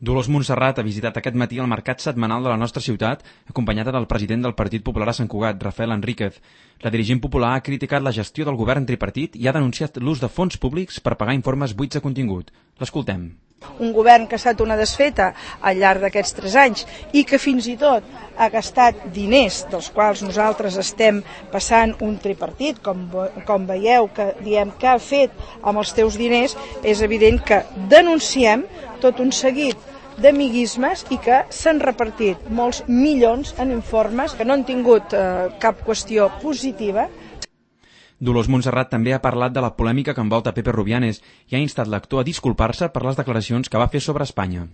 Dolors Montserrat ha visitat aquest matí el mercat setmanal de la nostra ciutat, acompanyada del president del Partit Popular a Sant Cugat, Rafael Enríquez. La dirigent popular ha criticat la gestió del govern tripartit i ha denunciat l'ús de fons públics per pagar informes buits de contingut. L'escoltem. Un govern que ha estat una desfeta al llarg d'aquests 3 anys i que fins i tot ha gastat diners dels quals nosaltres estem passant un tripartit, com veieu que diem que ha fet amb els teus diners, és evident que denunciem tot un seguit d'amiguismes i que s'han repartit molts milions en informes que no han tingut cap qüestió positiva. Dolors Montserrat també ha parlat de la polèmica que envolta Pepe Rubianes i ha instat l'actor a disculpar-se per les declaracions que va fer sobre Espanya.